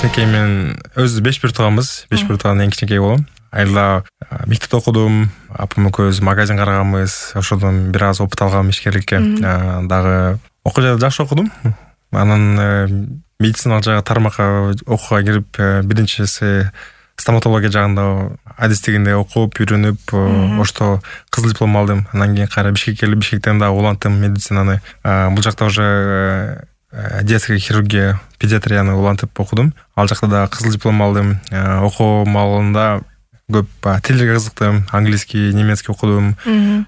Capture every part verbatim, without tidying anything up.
кичинекей мен өзүбүз беш бир тууганбыз. беш бир тууган эң кичинекей болом. Айла мектепте окудум. Апам экөөбүз магазин караганбыз. Ошодон бир аз опыт алгам ишкерликке. Дагы окуу жайда жакшы окудум. Анан медициналык жагы тармакка окууга кирип, биринчиси стоматология жагында адистигинде окуп, үйрөнүп, ошто кызыл диплом алдым. Анан кийин кайра Бишкекке келип, Бишкектен дагы улантым медицинаны. Бул жакта уже детская хирургия, педиатрияны улантып окудум. Ал жакта да кызыл диплом алдым. Окуу маалында көп тилдерге кызыктым. Английский, немецкий окудум.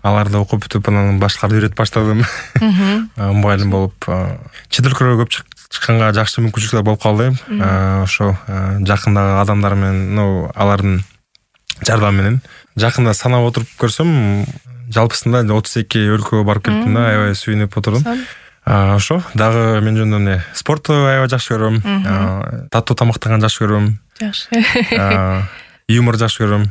Аларды окуп бүтүп, анан башкаларды үйрөтүп баштадым. Мугалим болуп, чет өлкөгө көп чыкканга жакшы мүмкүнчүлүктөр болуп калды. Ошо жакындагы адамдар менен, ну, алардын жардамы менен. Жакында санап отуруп көрсөм, жалпысында отуз эки өлкөгө барып келиптим да, аябай сүйүнүп отурдум. Ошо дагы мен жөнүндө эмне, спортту аябай жакшы көрөм. Таттуу тамактанганды жакшы көрөм. Жакшы. Юмор жакшы көрөм.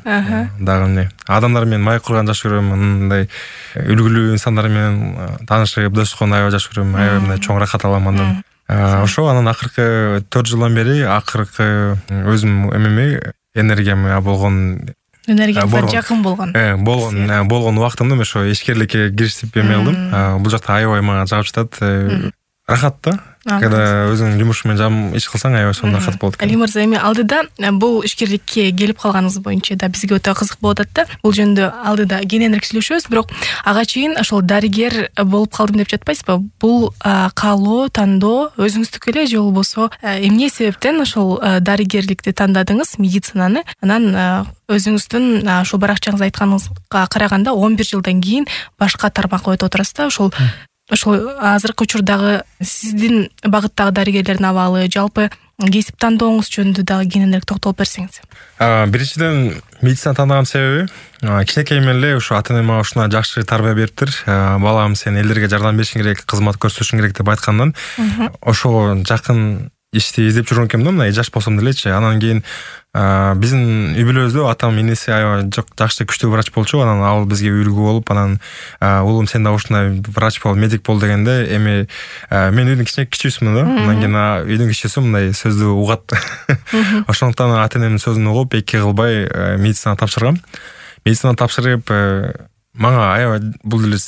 Дагы эмне, адамдар менен маек курганды жакшы көрөм. Мындай үлгүлүү инсандар менен таанышып, достукун аябай жакшы көрөм. Аябай мындай чоң рахат алам андан. Ошо анан акыркы төрт жылдан бери акыркы өзүм эмеме энергияма болгон энергияга жакын болгон. Э, болгон, болгон убактымда ошо ишкерликке киришип эме кылдым. Бул жакта аябай мага жагып жатат. Рахат да. Когда өзүң жумуш менен жам иш кылсаң, аябай сонун рахат болот. Али мырза, эми алдыда бул ишкерликке келип калганыңыз боюнча да бизге өтө кызык болуп атат да. Бул жөнүндө алдыда кененирээк сүйлөшөбүз, бирок ага чейин ошол дарыгер болуп калдым деп жатпайсызбы? Бул каалоо, тандоо өзүңүздүкү эле же болбосо эмне себептен ошол дарыгерликти тандадыңыз, медицинаны? Анан өзүңүздүн ошол баракчаңызда айтканыңызга караганда он бир жылдан кийин башка тармакка өтүп отурасыз да. Ошол Ошол азыркы учурдагы сиздин багыттагы дарыгерлердин абалы, жалпы кесип тандооңуз жөнүндө дагы кененирээк токтолуп берсеңиз. Биринчиден, медицина тандаган себеби кичинекейимден эле ушу ата-эне мага ушуна жакшы тарбия бериптир. Балам, сен элдерге жардам беришиң керек, кызмат көрсөтүшүң керек деп айткандан, ошого жакын ишти издеп жүргөн экенмин да, мына жаш болсом делечи. Анан кийин биздин үй бүлөбүздө атам, энеси аябай жакшы күчтүү врач болчу. Анан ал бизге үлгү болуп, анан уулум, сен да ушундай врач бол, медик бол дегенде, эми мен үйдүн кичүүсүмүн да. Андан кийин үйдүн кичүүсү мындай сөздү угат. Ошондуктан ата-энемдин сөзүн угуп, эки кылбай медицинаны тапшыргам. Медицинаны тапшырып, мага аябай бул деле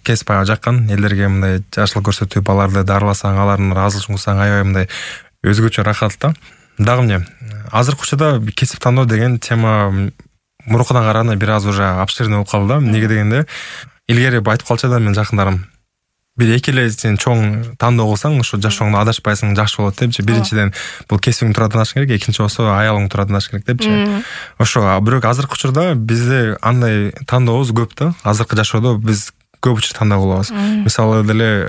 кесип аябай жаккан. Элдерге мындай жакшылык көрсөтүп, аларды дарыласаң, алардын ыраазычылыгын угсаң, аябай мындай өзгөчө рахат да. Дагы эмне, азыркы учурда кесип тандоо деген тема мурункудан караганда бир аз уже обширный болуп калды да. Эмнеге дегенде, илгери айтып калчу да мен жакындарым, бир эки эле сен чоң тандоо кылсаң, ошо жашооңдо адашпайсың, жакшы болот депчи. Биринчиден бул кесибиң турат тандашың керек, экинчи болсо аялың турат тандашың керек депчи. Ошо, бирок азыркы учурда бизде андай тандообуз көп да. Азыркы жашоодо биз көп учур тандоо кылабыз. Мисалы деле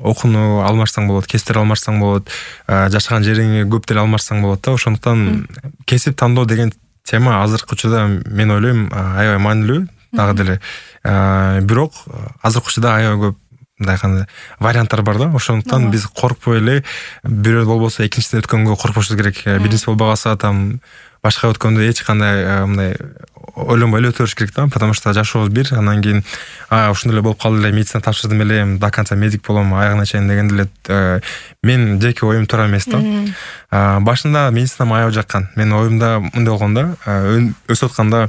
окууну алмашсаң болот, кесиптер алмашсаң болот, жашаган жериңи көп деле алмашсаң болот да. Ошондуктан кесип тандоо деген тема азыркы учурда мен ойлойм аябай маанилүү дагы деле. Бирок азыркы учурда аябай көп мындай кандай варианттар бар да. Ошондуктан биз коркпой эле, бирөө болбосо экинчисине өткөнгө коркпошубуз керек. Биринчиси болбой калса, там башка өткөндө эч кандай мындай ойлонбой эле өтө бериш керек да, потому что жашообуз бир. Анан кийин ушундай эле болуп калды эле, медицина тапшырдым эле, до конца медик болом, аягына чейин деген деле мен жеке оюм туура эмес да. Башында медицина аябай жаккан. Менин оюмда мындай болгон да, өсүп атканда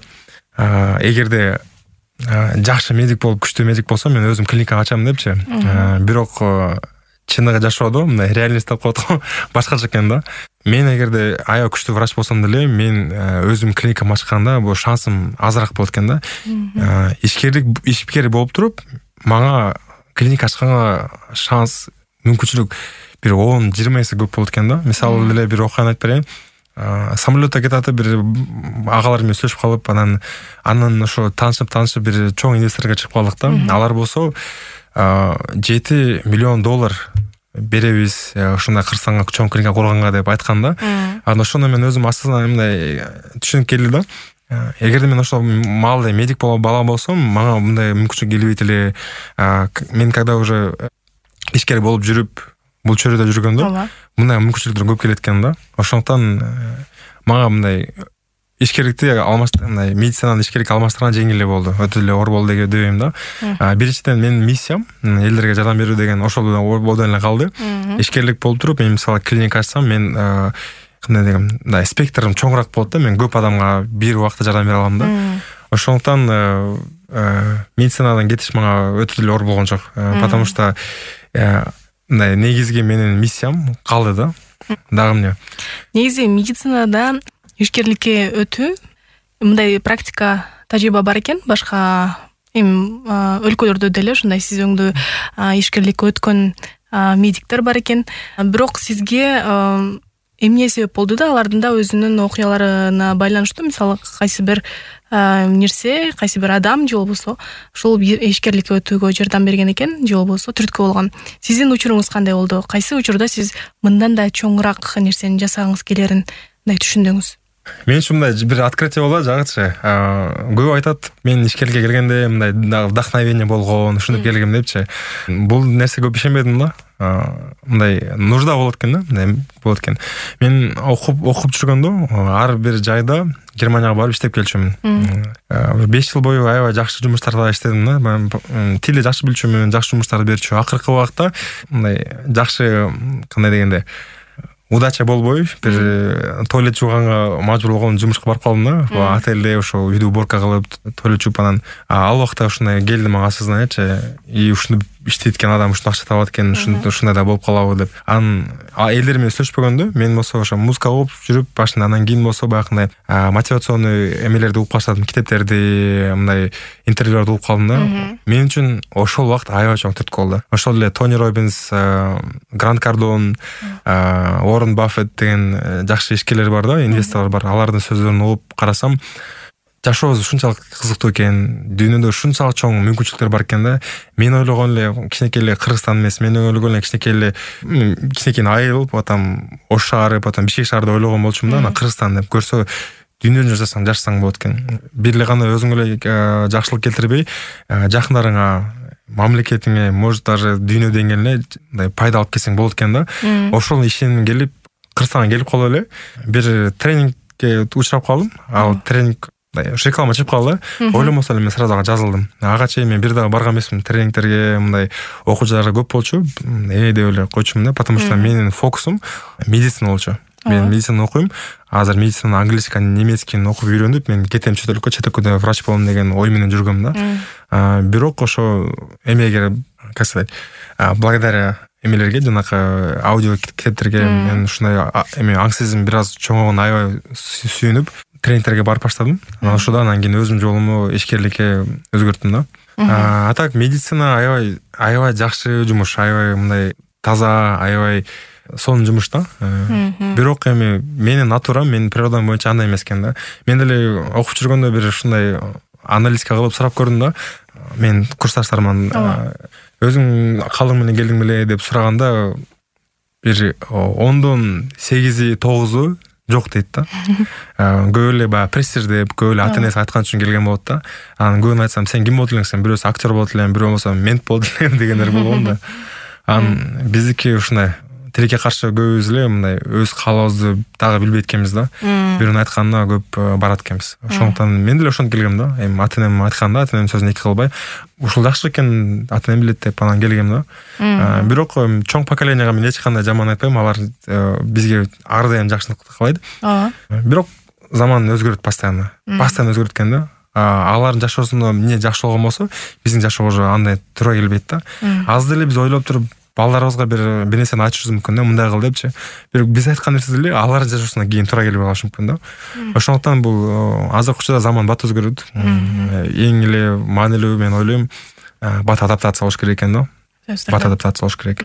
эгерде жакшы медик болуп, күчтүү медик болсом, мен өзүм клиника ачам депчи. Бирок чыныгы жашоодо мындай реальность деп коет го, башкача экен да. Мен эгерде аябай күчтүү врач болсом деле, мен өзүм клиника ачканда бул шансым азыраак болот экен да. Ишкерлик ишкер болуп туруп, мага клиника ачканга шанс, мүмкүнчүлүк бир он жыйырма эсе көп болот экен да. Мисалы деле бир окуяны айтып берейин. Самолетто кетатып бир агалар менен сүйлөшүп калып, анан анан ошо таанышып таанышып бир чоң инвесторго чыгып калдык да. Алар болсо жети миллион доллар беребиз, ушундай Кыргызстанга чоң клиника курганга деп айткан да. Анан ошондо мен өзүм астынан мындай түшүнүп келди да. Эгерде мен ошол маалда медик болуп бала болсом, мага мындай мүмкүнчүлүк келбейт эле. Мен когда уже ишкер болуп жүрүп, бул чөйрөдө жүргөндө, мындай мүмкүнчүлүктөр көп келет экен да. Ошондуктан мага мындай ишкерликти алмаштырган, мындай медицинаны ишкерликке алмаштырган жеңил эле болду. Өтө эле оор болду деп ойлойм да. Биринчиден менин миссиям элдерге жардам берүү деген ошол эле оор болду эле калды. Ишкерлик болуп туруп, мен мисалы клиника ачсам, мен кандай дегем, мындай спектрим чоңураак болот да, мен көп адамга бир убакта жардам бере алам да. Ошондуктан медицинадан кетиш мага өтө эле оор болгон жок, потому что мындай негизги менин миссиям калды да. Дагы эмне? Негизи медицинада ишкерликке өтүү мындай практика тажрыйба бар экен, башка эми өлкөлөрдө деле ушундай сиз өңдүү ишкерликке өткөн медиктер бар экен. Бирок сизге эмне себеп болду да, алардын да өзүнүн окуяларына байланыштуу, мисалы кайсы бир нерсе, кайсы бир адам же болбосо ушул ишкерликке өтүүгө жардам берген экен, же болбосо түрткү болгон. Сиздин учуруңуз кандай болду? Кайсы учурда сиз мындан да чоңураак нерсени жасагыңыз келерин мындай түшүндүңүз? Мен үчүн мындай бир открытие болот, жагычы. Көп айтат, мен ишкерликке келгенде мындай вдохновение болгон, ушинтип келгем депчи. Бул нерсе көп ишенбедим да. Мындай нужда болот экен да, мындай болот экен. Мен окуп окуп жүргөндө ар бир жайда Германияга барып иштеп келчүмүн. беш жыл бою аябай жакшы жумуштарда иштедим да. Мен тилди жакшы билчүмүн, жакшы жумуштарды берчү. Акыркы убакта мындай жакшы, кандай дегенде, удача болбой, бир туалет жууганга мажбур болгон жумушка барып калдым да. Отелде ошо үйдү уборка кылып, туалет жууп, анан ал убакта ушундай келди мага осознаниячи, и ушуну иштейт экен адам, ушуну акча табат экен, ушундай да болуп калабы деп. Анан элдер менен сүйлөшпөгөндө, мен болсо ошо музыка окуп жүрүп башында, анан кийин болсо баягындай мотивационный эмелерди окуп баштадым, китептерди, мындай интервьюларды окуп калдым да. Мен үчүн ошол убакыт аябай чоң түрткү болду. Ошол эле Тони Роббинс, Грант Кардон, Уоррен Баффет деген жакшы ишкерлер бар да, инвесторлор бар. Алардын сөздөрүн угуп карасам, жашообуз ушунчалык кызыктуу экен, дүйнөдө ушунчалык чоң мүмкүнчүлүктөр бар экен да. Мен ойлогон эле кичинекей эле Кыргызстан эмес, мен ойлогон эле кичинекей эле кичинекей айыл, потом Ош шаары, потом Бишкек шаарды ойлогон болчумун да. Анан Кыргызстан деп көрсө, дүйнөнү жасасаң, жашасаң болот экен. Бир эле гана өзүңө эле жакшылык келтирбей, жакындарыңа, мамлекетиңе, может даже дүйнө деңгээлине мындай пайда алып келсең болот экен да. Ошол ишеним келип, Кыргызстанга келип калып эле бир тренингге учурап калдым. Ал тренинг реклама чыгып калды. Ойломосо эле мен сразу ага жазылдым. Ага чейин мен бир дагы барган эмесмин тренингтерге, мындай окуучулар көп болчу. Э деп эле койчумун да, потому что менин фокусум медицина болчу. Мен медицина окуйм. Азыр медицина английский, немецкийни окуп үйрөнүп, мен кетем чет өлкөгө, чет өлкөдө врач болом деген ой менен жүргөм да. Бирок ошо эмеге, как сказать, благодаря эмелерге, жанакы аудио китептерге мен ушундай эме аң сезим бир аз чоңойгон аябай сүйүнүп, тренингтерге барып баштадым. Анан ошондо анан кийин өзүм жолуму ишкерликке өзгөрттүм да. А так медицина аябай аябай жакшы жумуш, аябай мындай таза, аябай сонун жумуш да. Бирок эми менин натурам, менин природам боюнча андай эмес экен да. Мен деле окуп жүргөндө бир ушундай аналитика кылып сурап көрдүм да. Мен курсташтарыман өзүң калың менен келдиң беле деп сураганда, бир ондон сегизи тогузу жок дейт да. Көп эле баягы прессир деп, көп эле ата энеси айткан үчүн келген болот да. Анан көбүн айтсам, сен ким болот элең, сен бирөөсү актер болот элең, бирөө болсо мент болот элең дегендер болгон да. Анан биздики ушундай тилекке каршы көбүбүз эле мындай өз каалообузду дагы билбейт экенбиз да. Бирөөнүн айтканына көп барат экенбиз. Ошондуктан мен деле ошентип келгем да. Эми ата энем айтканда, ата энемдин сөзүн эки кылбай, ушул жакшы экен, ата энем билет деп анан келгем да. Бирок чоң поколенияга мен эч кандай жаман айтпайм, алар бизге ар дайым жакшылык кылат. Бирок заман өзгөрөт постоянно. Постоянно өзгөрөт экен да. Алардын жашоосунда эмне жакшы болгон болсо, биздин жашоого андай туура келбейт да. Аз деле биз ойлоп туруп балдарыбызга бир бир нерсени айтышыбыз мүмкүн да, мындай кыл депчи. Бирок биз айткан нерсе деле алардын жашоосуна кийин туура келбей калышы мүмкүн да. Ошондуктан бул азыркы учурда заман бат өзгөрөт. Эң эле маанилүү мен ойлойм, бат адаптация болуш керек экен да. Бат адаптация болуш керек.